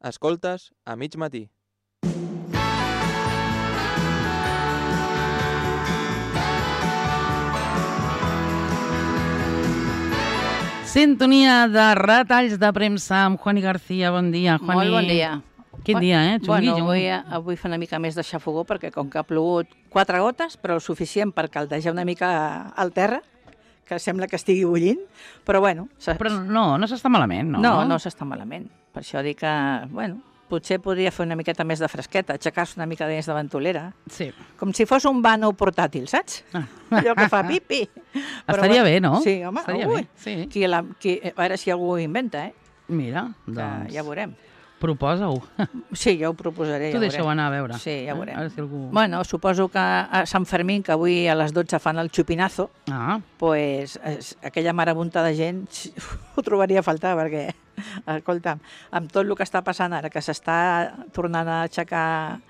Escoltes a mig matí. Sintonia de retalls de premsa amb Juani García. Bon dia, Juani. Molt bon dia. Quin dia, Xungui? Bueno, avui fa una mica més de xafogó perquè com que ha plogut 4 gotes, però el suficient per caldejar una mica al terra, que sembla que estigui bullint, però bueno... Però no s'està malament, no? No s'està malament. Per això dic que, bueno, potser podria fer una miqueta més de fresqueta, aixecar-se una mica més de ventolera. Sí. Com si fos un vano portàtil, saps? Allò que fa pipi. Estaria bé, no? Sí, home, estaria bé, sí. A veure si algú ho inventa, Mira, doncs... Ja veurem. Proposa-ho. Sí, jo ho proposaré. Tu deixa-ho anar a veure. Sí, ja veurem. A veure si algú... Bueno, suposo que a Sant Fermín, que avui a les 12 fan el xupinazo, pues, aquella marabunta de gent ho trobaria a faltar, perquè, escolta'm, amb tot el que està passant ara, que s'està tornant a aixecar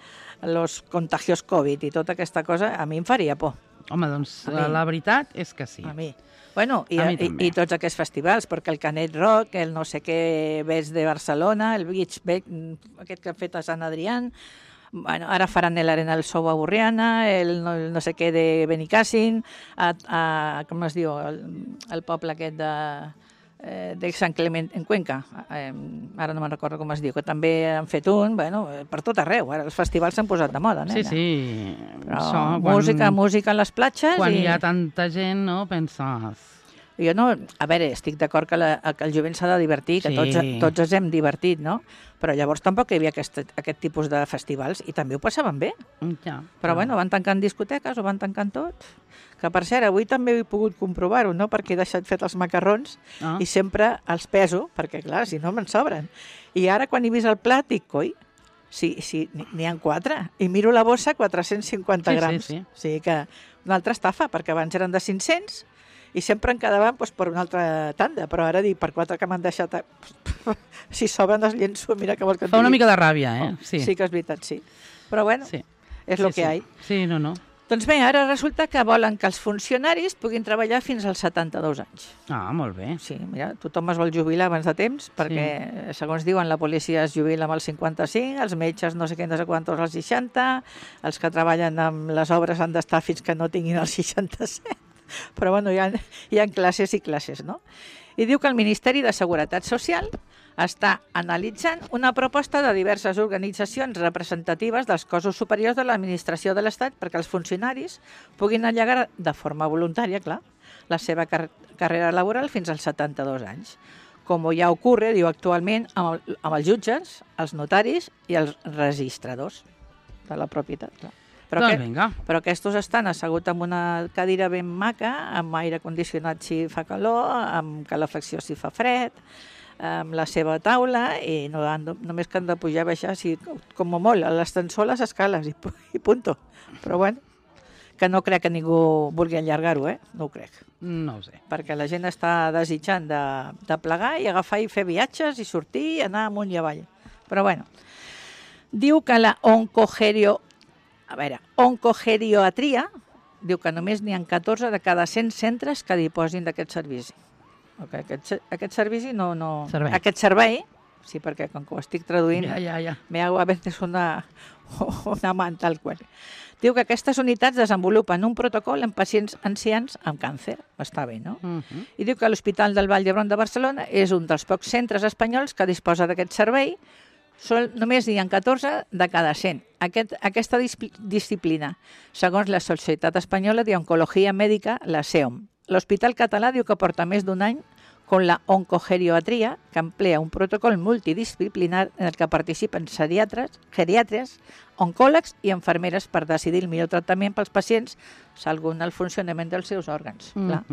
els contagios Covid i tota aquesta cosa, a mi em faria por. Home, doncs la veritat és que sí. A mi. Bueno, i tots aquests festivals, perquè el Canet Rock, el no sé què Ves de Barcelona, el Beach Beck, aquest que han fet a Sant Adrián, bueno, ara faran l'Arena del Sou a Borriana, el no sé què de Benicàssim, com es diu, el poble aquest de Sant Clement, en Cuenca, ara no me'n recordo com es diu, que també han fet un, bueno, per tot arreu, ara els festivals s'han posat de moda, nena. Sí. Però música a les platges... Quan hi ha tanta gent, no, penses... Jo no, a veure, estic d'acord que el jovent s'ha de divertir, que tots ens hem divertit, no? Però llavors tampoc hi havia aquest tipus de festivals i també ho passaven bé. Ja. Però bueno, van tancant discoteques, ho van tancant tot. Que per cert, avui també he pogut comprovar-ho, no? Perquè he deixat fet els macarrons i sempre els peso, perquè clar, si no me'n sobren. I ara quan he vist el plat dic, coi, sí, n'hi ha 4. I miro la bossa, 450 grams. Sí. O sigui que una altra estafa, perquè abans eren de 500 i sempre en quedaven per una altra tanda, però ara dic, per 4 que m'han deixat, si sobren els llenço, mira que vols que et digui. Fa una mica de ràbia, Sí que és veritat, sí. Però bueno, és el que hi ha. Sí, no. Doncs bé, ara resulta que volen que els funcionaris puguin treballar fins als 72 anys. Ah, molt bé. Sí, mira, tothom es vol jubilar abans de temps, perquè, segons diuen, la policia es jubila amb els 55, els metges no sé què, no sé quantos als 60, els que treballen amb les obres han d'estar fins que no tinguin els 67. Però bueno, hi ha classes i classes, no? I diu que el Ministeri de Seguretat Social està analitzant una proposta de diverses organitzacions representatives dels cossos superiors de l'administració de l'Estat perquè els funcionaris puguin allargar de forma voluntària, clar, la seva carrera laboral fins als 72 anys. Com ja ocorre, diu, actualment amb els jutges, els notaris i els registradors de la propietat, clar. Però aquests estan asseguts en una cadira ben maca, amb aire condicionat si fa calor, amb calefacció si fa fred, amb la seva taula, i només que han de pujar i baixar, com a molt, a l'ascensor les escales, i punto. Però bueno, que no crec que ningú vulgui allargar-ho, no ho crec. No ho sé. Perquè la gent està desitjant de plegar i agafar i fer viatges i sortir i anar amunt i avall. Però bueno, diu que la oncogeriatria, diu que només n'hi ha 14 de cada 100 centres que disposin d'aquest servici. Okay, aquest servici no... Servei. Aquest servei, sí, perquè com que ho estic traduint, ja. me hago a veces una man tal qual. Diu que aquestes unitats desenvolupen un protocol en pacients ancians amb càncer. Està bé, no? I diu que l'Hospital del Vall d'Hebron de Barcelona és un dels pocs centres espanyols que disposa d'aquest servei. Només n'hi ha 14 de cada 100. Aquesta disciplina, segons la Societat Espanyola d'Oncologia Mèdica, la SEOM. L'Hospital Català diu que porta més d'un any con la oncogeriatria, que emplea un protocol multidisciplinar en el que participen geriatres, oncòlegs i infermeres per decidir el millor tractament pels pacients segons el funcionament dels seus òrgans. Clar,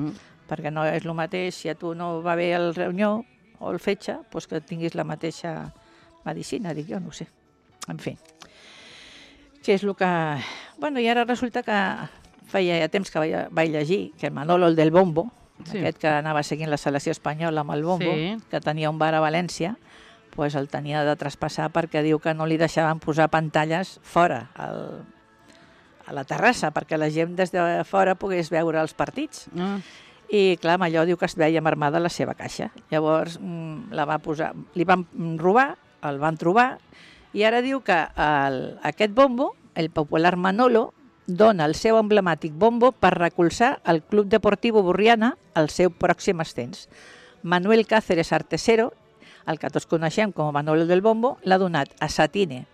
perquè no és el mateix si a tu no va bé el ronyó o el fetge, doncs que tinguis la mateixa medicina, dic jo, no sé. En fi, què és el que... Bueno, i ara resulta que feia temps que vaig llegir que Manolo, el del Bombo, aquest que anava seguint la selecció espanyola amb el Bombo, que tenia un bar a València, pues el tenia de traspassar perquè diu que no li deixaven posar pantalles fora, a la terrassa, perquè la gent des de fora pogués veure els partits. I clar, amb allò diu que es veia marmada la seva caixa. Llavors la va posar, li van robar el van trobar i ara diu que aquest bombo, el popular Manolo, dona el seu emblemàtic bombo per recolzar el Club Deportivo Burriana al seu pròxim ascens. Manuel Cáceres Artesero, el que tots coneixem com a Manolo del Bombo, l'ha donat a Satine,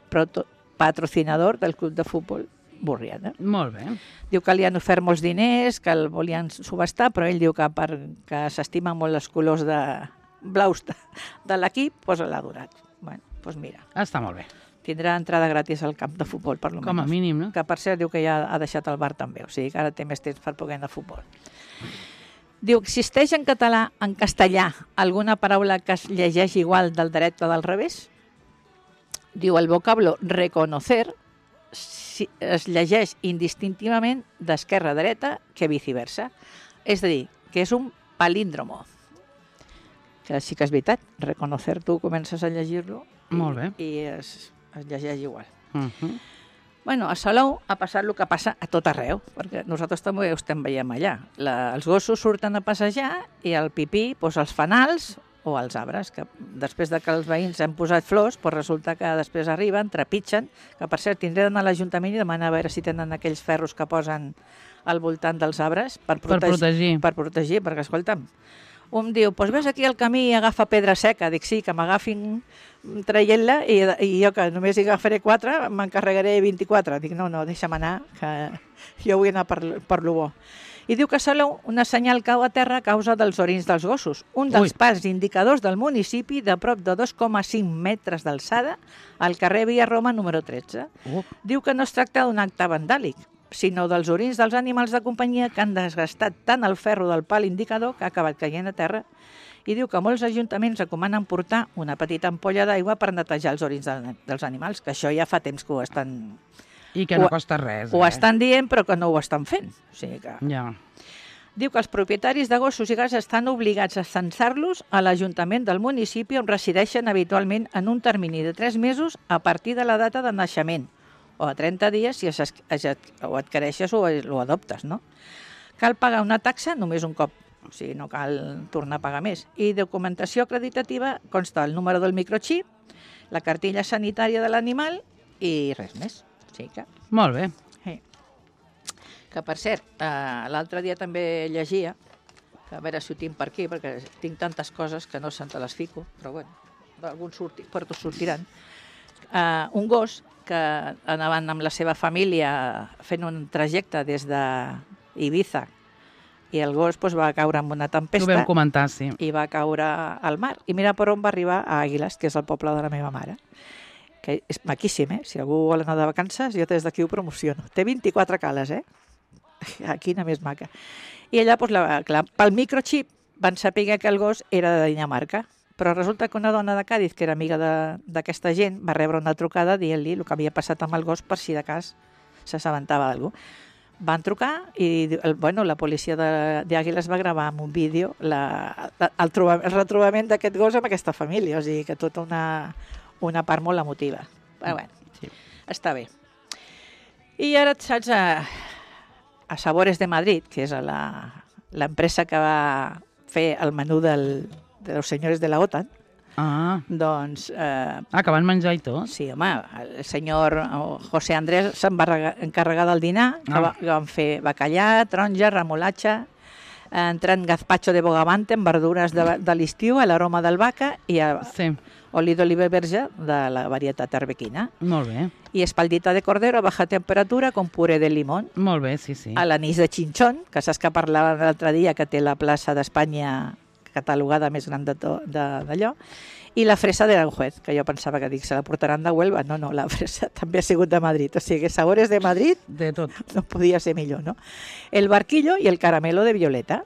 patrocinador del Club de Futbol Burriana. Molt bé. Diu que li han ofert molts diners, que el volien subestar, però ell diu que perquè s'estimen molt els colors blaus de l'equip, doncs l'ha donat. Bueno, doncs mira. Està molt bé. Tindrà entrada gratis al camp de futbol, per lo Com a mínim, no? Que per cert diu que ja ha deixat el bar també, o sigui que ara té més temps per poder anar a futbol. Diu, existeix en català, en castellà, alguna paraula que es llegeix igual del dret o del revés? Diu, el vocablo reconocer es llegeix indistintivament d'esquerra a dreta que viceversa. És a dir, que és un palíndromo. Que sí que és veritat, reconocer tu comences a llegir-lo Molt bé. i es llegeix igual. Bueno, a Salou ha passat el que passa a tot arreu, perquè nosaltres també ho estem veient allà. Els gossos surten a passejar i el pipí, doncs els fanals o els arbres, que després de que els veïns han posat flors, doncs resulta que després arriben, trepitgen, que per cert tindré d'anar a l'Ajuntament i demanar a veure si tenen aquells ferros que posen al voltant dels arbres per protegir. Per protegir, perquè escolta'm, un diu, doncs ves aquí al camí i agafa pedra seca. Dic, sí, que m'agafin traient-la i jo que només hi agafaré 4, m'encarregaré 24. Dic, no, deixa'm anar, que jo vull anar per lo bo. I diu que a Salou una senyal cau a terra a causa dels orins dels gossos. Un dels parcs indicadors del municipi de prop de 2,5 metres d'alçada al carrer Via Roma número 13. Diu que no es tracta d'un acte vandàlic, sinó dels orins dels animals de companyia que han desgastat tant el ferro del pal indicador que ha acabat caient a terra. I diu que molts ajuntaments recomanen portar una petita ampolla d'aigua per netejar els orins dels animals, que això ja fa temps que ho estan... I que no costa res. Ho estan dient, però que no ho estan fent. O sigui que... Ja. Diu que els propietaris de gossos i gats estan obligats a censar-los a l'Ajuntament del municipi on resideixen habitualment en un termini de 3 mesos a partir de la data de naixement, o a 30 dies si ho adquireixes o ho adoptes, no? Cal pagar una taxa només un cop, o sigui, no cal tornar a pagar més. I documentació acreditativa consta el número del microxip, la cartilla sanitària de l'animal i res més. O sigui que... Molt bé. Sí. Que, per cert, l'altre dia també llegia, que a veure si ho tinc per aquí, perquè tinc tantes coses que no se'n te les fico, però bueno, d'algun sortiran. Un gos que anaven amb la seva família fent un trajecte des d'Ibiza i el gos va caure en una tempesta. Ho vam comentar, sí. I va caure al mar. I mira per on va arribar, a Àguiles, que és el poble de la meva mare. Que és maquíssim, Si algú vol anar de vacances, jo des d'aquí ho promociono. Té 24 cales, Quina més maca. I allà, clar, pel microxip van saber que el gos era de Dinamarca. Però resulta que una dona de Càdiz, que era amiga d'aquesta gent, va rebre una trucada dient-li el que havia passat amb el gos per si de cas s'assabentava d'algú. Van trucar i la policia d'Àguiles va gravar amb un vídeo el retrobament d'aquest gos amb aquesta família. O sigui que tota una part molt emotiva. Però bueno, sí. Està bé. I ara, saps, a Sabores de Madrid, que és l'empresa que va fer el menú de los señores de la OTAN, doncs... que van menjar i tot? Sí, home, el senyor José Andrés se'n va encarregar del dinar, que van fer bacallà, taronja, remolatxa, entrant gazpacho de bogavante amb verdures de l'estiu, a l'aroma d'albahaca i oli d'oliva verge de la varietat arbequina. Molt bé. I espaldita de cordero a baja temperatura con puré de limón. Molt bé, sí. A l'anís de xinxón, que saps que parlàvem l'altre dia, que té la plaça d'Espanya catalogada més gran d'allò, i la fresa de Aranjuez, que jo pensava que se la portaran de Huelva. No, la fresa també ha sigut de Madrid. O sigui, Sabores de Madrid de tot. No podia ser millor, no? El barquillo i el caramelo de Violeta.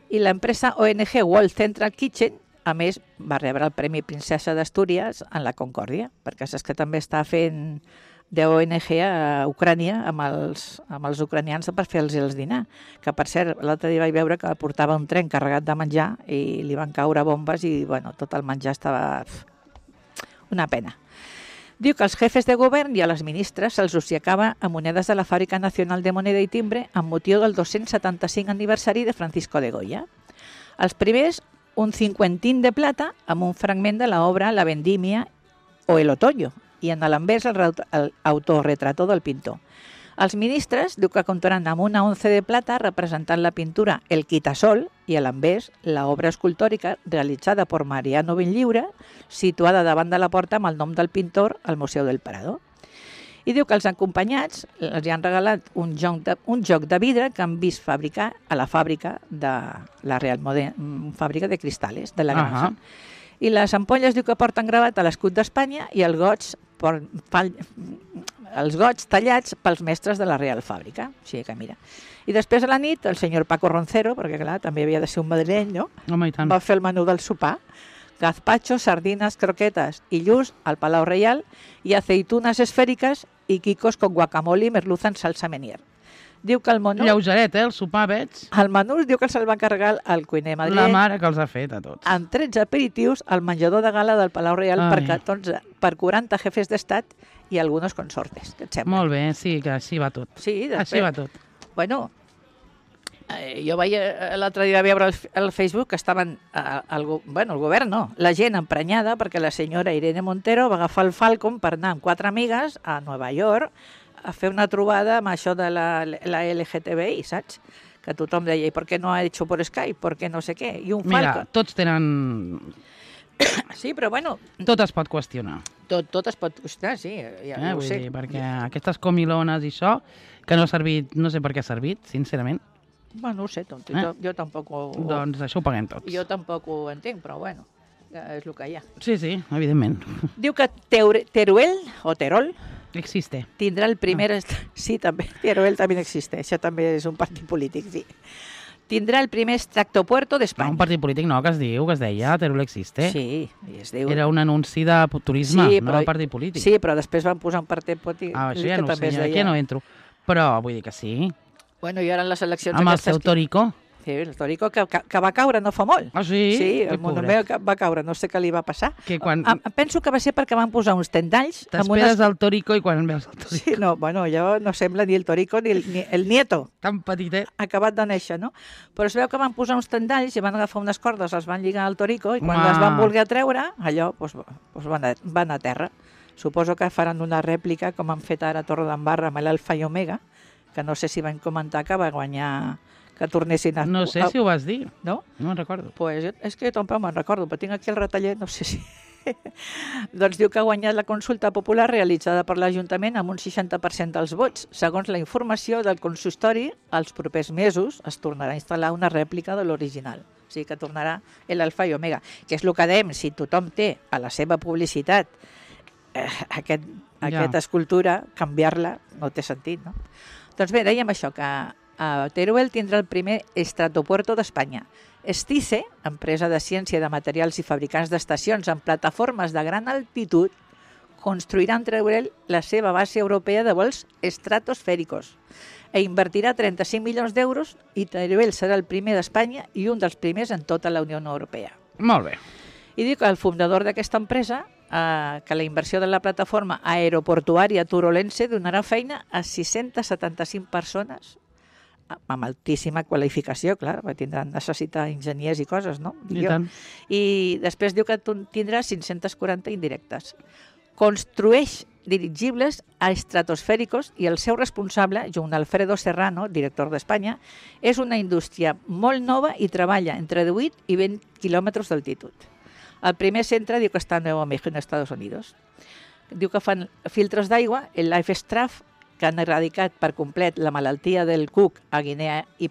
I l'empresa ONG World Central Kitchen, a més, va rebre el Premi Princesa d'Astúries en la Concòrdia, perquè saps que també està fent d'ONG a Ucrània amb els ucranians per fer-los el dinar. Que, per cert, l'altre dia vaig veure que portava un tren carregat de menjar i li van caure bombes i, tot el menjar estava... una pena. Diu que als jefes de govern i a les ministres se'ls obsequiava a monedes de la Fàbrica Nacional de Moneda i Timbre amb motiu del 275 aniversari de Francisco de Goya. Els primers, un cinquentín de plata amb un fragment de l'obra La Vendimia o el otoño, i en l'envers el autorretrato del pintor. Els ministres diu que comptaran amb una once de plata representant la pintura El Quitasol i a l'envers l'obra escultòrica realitzada per Mariano Benlliure, situada davant de la porta amb el nom del pintor al Museu del Prado. I diu que els acompanyats els han regalat un joc de vidre que han vist fabricar a la fàbrica de la Real fàbrica de cristales de la granja. I les ampolles diu que porten gravat a l'escut d'Espanya i els gots tallats pels mestres de la Real Fàbrica. O sigui que mira. I després a la nit el senyor Paco Roncero, perquè clar, també havia de ser un madrileny, no? Home, i tant. Va fer el menú del sopar. Gazpacho, sardines, croquetas i lluç al Palau Reial i aceitunes esfèriques i quicos con guacamole i merluza en salsa Menier. Diu que el menú... Lleugeret, el sopar, veig. El menú diu que se'l va encarregar el cuiner La madrileny mare que els ha fet a tots. amb 13 aperitius al menjador de gala del Palau Reial per 40 jefes d'estat i algunos consortes. Què et sembla? Molt bé, sí, que així va tot. Sí, després... Així va tot. Bueno, jo veia l'altre dia veure al Facebook que estaven, el govern no, la gent emprenyada perquè la senyora Irene Montero va agafar el Falcon per anar amb 4 amigues a Nova York a fer una trobada amb això de la LGTBI, saps? Que tothom deia, ¿y por qué no ha hecho por Skype? ¿Por qué no sé què? I un Mira, Falcon... tots tenen... Sí, però bueno... Tot es pot qüestionar. Tot es pot qüestionar, sí, ja ho Vull sé. dir, perquè aquestes comilones i això, que no ha servit, no sé per què ha servit, sincerament. Bueno, no ho sé, jo tampoc Doncs això ho paguem tots. Jo tampoc ho entenc, però bueno, és el que hi ha. Sí, sí, evidentment. Diu que Teruel, o Terol, Existe. tindrà el primer... Sí, també, Teruel també existe, això també és un partit polític, sí. Tindrà el primer tractopuerto No, d'Espanya. un partit polític no, que es deia Teruel Existe. Sí, i es diu... Era un anunci de turisme, no de partit polític. Sí, però després van posar un partit polític Això ja que no ho també sé, es deia... aquí no entro. Però vull dir que sí. Bueno, i ara en les eleccions... Amb el aquestes seu Torico. Sí, el Torico que va caure no fa molt. Ah, sí? Sí, Que el monument que va caure, no sé què li va passar. Que quan... Penso que va ser perquè van posar uns tendalls... T'esperes el Torico i quan veus el Torico... Sí, no, bueno, allò no sembla ni el Torico ni el nieto. Tan petitet. Acabat de néixer, no? Però es veu que van posar uns tendalls i van agafar unes cordes, els van lligar al Torico i quan Home. les van voler treure, allò van a terra. Suposo que faran una rèplica com han fet ara a Torre d'Embarra amb l'Alfa i Omega, que no sé si van comentar que va guanyar, que tornessin a... No sé si ho vas dir. No? No me'n recordo. Pues és que tampoc me'n recordo, però tinc aquí el retallet, no sé si... Doncs diu que ha guanyat la consulta popular realitzada per l'Ajuntament amb un 60% dels vots. Segons la informació del consistori, els propers mesos es tornarà a instal·lar una rèplica de l'original. O sigui que tornarà l'Alfa i Omega, que és el que dèiem, si tothom té a la seva publicitat aquesta escultura, canviar-la no té sentit, no? Doncs bé, dèiem això, que Teruel tindrà el primer estratopuerto d'Espanya. Stice, empresa de ciència de materials i fabricants d'estacions en plataformes de gran altitud, construirà en Teruel la seva base europea de vols estratosfèricos e invertirà 35 milions d'euros i Teruel serà el primer d'Espanya i un dels primers en tota la Unió Europea. Molt bé. I diu que el fundador d'aquesta empresa que la inversió de la plataforma aeroportuària turolense donarà feina a 675 persones amb altíssima qualificació, clar, tindran necessitar enginyers i coses, no? I tant. I després diu que tindrà 540 indirectes. Construeix dirigibles estratosfèricos i el seu responsable, Joan Alfredo Serrano, director d'Espanya, és una indústria molt nova i treballa entre 18 i 20 quilòmetres d'altitud. El primer centre diu que està a Nuevo México, en Estats Units. Diu que fan filtres d'aigua, el Life Straff, que han erradicat per complet la malaltia del cuc a Guinea i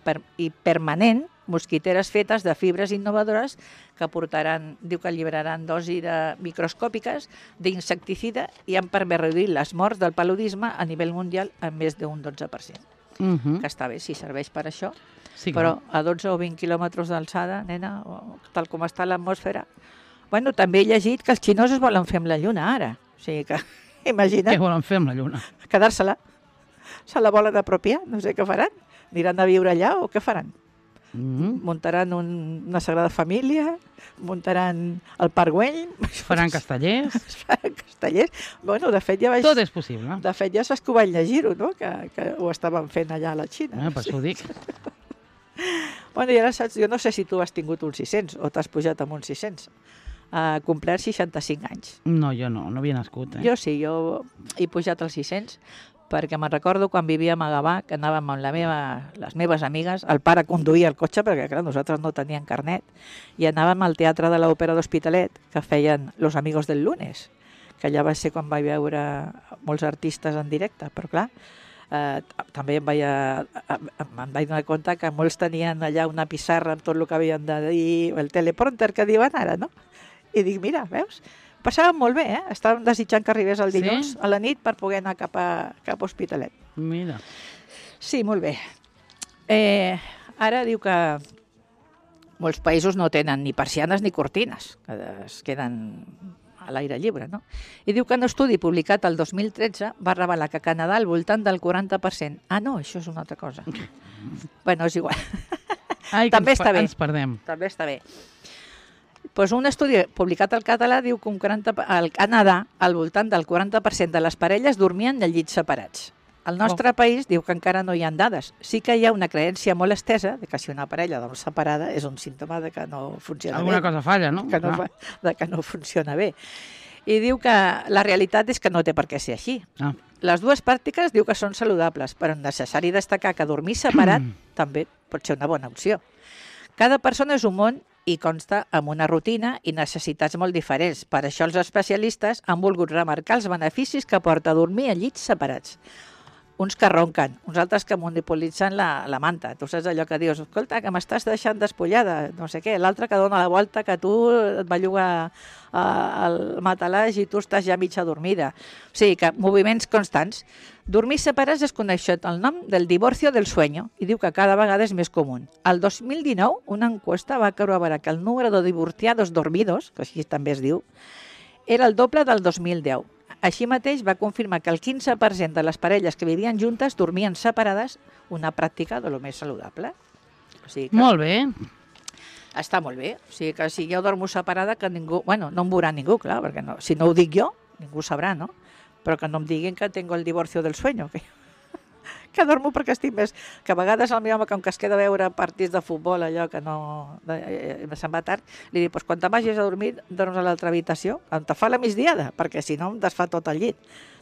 permanent, mosquiteres fetes de fibres innovadores que portaran, diu que alliberaran dosis microscòpiques d'insecticida i han permès reduir les morts del paludisme a nivell mundial en més d'un 12%. Que està bé, si serveix per això, Sí, però a 12 o 20 quilòmetres d'alçada, nena, tal com està l'atmosfera... Bueno, també he llegit que els xinos es volen fer amb la Lluna ara. O sigui que, imagina't... Què volen fer amb la Lluna? Quedar-se-la. Se la volen apropiar, no sé què faran. Aniran a viure allà o què faran? Muntaran una Sagrada Família, muntaran el Parc Güell... Faran castellers? Faran castellers. Bueno, de fet ja vaig... Tot és possible. De fet ja saps que ho vaig llegir-ho, no? Que ho estaven fent allà a la Xina. Per això ho dic. Bueno, i ara saps, jo no sé si tu has tingut un 600 o t'has pujat amb un 600. complert 65 anys. No, jo no havia nascut, eh? Jo sí, jo he pujat als 600, perquè me'n recordo quan vivíem a Gavà, que anàvem amb les meves amigues, el pare conduïa el cotxe, perquè clar, nosaltres no teníem carnet, i anàvem al Teatre de l'Òpera d'Hospitalet, que feien Los Amigos del Lunes, que allà va ser quan vaig veure molts artistes en directe, però clar, també em vaig donar compte que molts tenien allà una pissarra amb tot el que havien de dir, el teleprompter que diuen ara, no? I dic, mira, veus? Passàvem molt bé, eh? Estàvem desitjant que arribés el dilluns a la nit per poder anar cap a Hospitalet. Mira. Sí, molt bé. Ara diu que molts països no tenen ni persianes ni cortines, que es queden a l'aire lliure, no? I diu que un estudi publicat el 2013 va revelar que a Canadà al voltant del 40%... Ah, no, això és una altra cosa. Bueno, és igual. Ai, també està bé. Ens perdem. També està bé. Pues un estudi publicat al català diu que al Canadà al voltant del 40% de les parelles dormien en llits separats. Al nostre país diu que encara no hi ha dades. Sí que hi ha una creença molt estesa de que si una parella dorm separada és un símptoma de que no funciona Alguna bé. cosa falla, no? De que no funciona bé. I diu que la realitat és que no té per què ser així. Ah. Les dues pràctiques diu que són saludables, però és necessari destacar que dormir separat també pot ser una bona opció. Cada persona és un món i consta amb una rutina i necessitats molt diferents. Per això els especialistes han volgut remarcar els beneficis que porta dormir a llits separats. Uns que ronquen, uns altres que monopolitzen la manta. Tu saps allò que dius, escolta, que m'estàs deixant despullada, no sé què. L'altre que dona la volta, que tu et belluga el matalàs i tu estàs ja mitja dormida. O sigui, que moviments constants. Dormir separats es coneix el nom del divorcio del sueño i diu que cada vegada és més comú. El 2019, una encuesta va corroborar que el número de divorciados dormidos, que així també es diu, era el doble del 2010. Així mateix va confirmar que el 15% de les parelles que vivien juntes dormien separades, una pràctica de lo més saludable. O sigui que molt bé. està molt bé. O sigui que si jo dormo separada, que ningú... Bueno, no em veurà ningú, clar, perquè no, si no ho dic jo, ningú sabrà, no? Però que no em diguin que tengo el divorcio del sueño, que dormo perquè estic més... Que a vegades el meu home, com que es queda a veure partits de futbol, allò que no... se'n va tard, li dic, pues, quan te vagis a dormir, dorms a l'altra habitació, on te fa la migdiada, perquè si no em desfà tot el llit.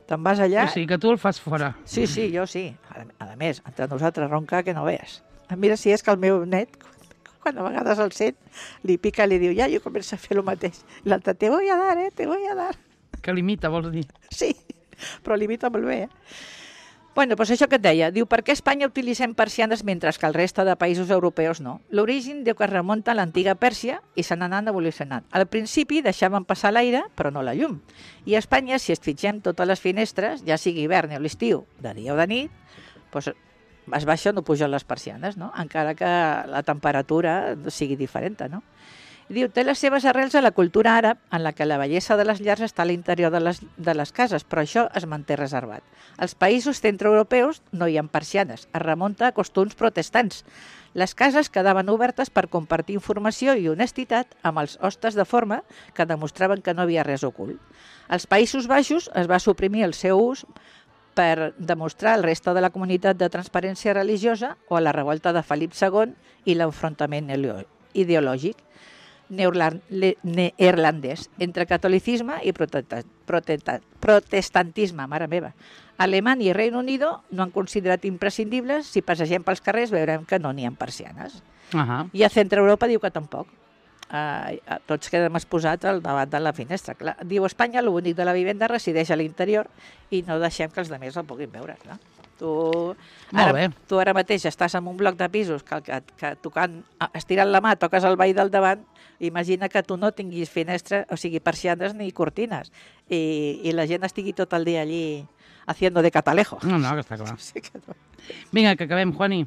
Te'n vas allà... O sigui, que tu el fas fora. Sí, jo sí. A més, entre nosaltres ronca que no veus. Mira si és que el meu net, quan a vegades el sent, li pica i li diu, ja, jo començo a fer el mateix. I l'altre, te voy a dar, te voy a dar. Que limita, vols dir? Sí, però limita molt bé, Bueno, doncs això que et deia, diu, per què a Espanya utilitzem persianes mentre que el reste de països europeus no? L'origen diu que es remunta a l'antiga Pèrsia i s'han anat evolucionant. Al principi deixaven passar l'aire, però no la llum. I a Espanya, si es fitgem totes les finestres, ja sigui hivern o l'estiu, de dia o de nit, doncs es baixa o no pugen les persianes, no? Encara que la temperatura sigui diferent, no? Diu, té les seves arrels a la cultura àrab, en la que la bellesa de les llars està a l'interior de les cases, però això es manté reservat. Als països centroeuropeus no hi ha persianes, es remunta a costums protestants. Les cases quedaven obertes per compartir informació i honestitat amb els hostes de forma que demostraven que no havia res ocult. Als Països Baixos es va suprimir el seu ús per demostrar al resta de la comunitat de transparència religiosa o a la revolta de Felip II i l'enfrontament ideològic neerlandès entre catolicisme i protestantisme, mare meva. Alemanya i Regne Unido no han considerat imprescindibles. Si passegem pels carrers veurem que no n'hi ha persianes. I a Centre Europa diu que tampoc. Tots quedem exposats al davant de la finestra. Clar, diu, a Espanya l'únic de la vivenda resideix a l'interior i no deixem que els altres el puguin veure. Clar. Tu ara mateix estàs en un bloc de pisos que tocant, estirant la mà toques el veí del davant. Imagina que tu no tinguis finestra, o sigui, persianes ni cortines i la gent estigui tot el dia allí haciendo de catalejo. No, que està clar. Sí que no. Vinga, que acabem, Juani.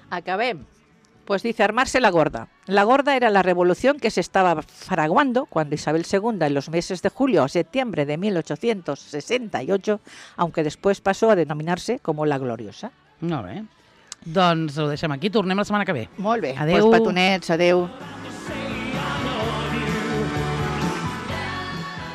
Acabem. Pues dice, armarse la gorda. La gorda era la revolución que se estaba fraguando cuando Isabel II, en los meses de julio a septiembre de 1868, aunque después pasó a denominarse como la gloriosa. Molt bé. Doncs ho deixem aquí, tornem la setmana que ve. Molt bé. Adéu. Pues petonets, adéu.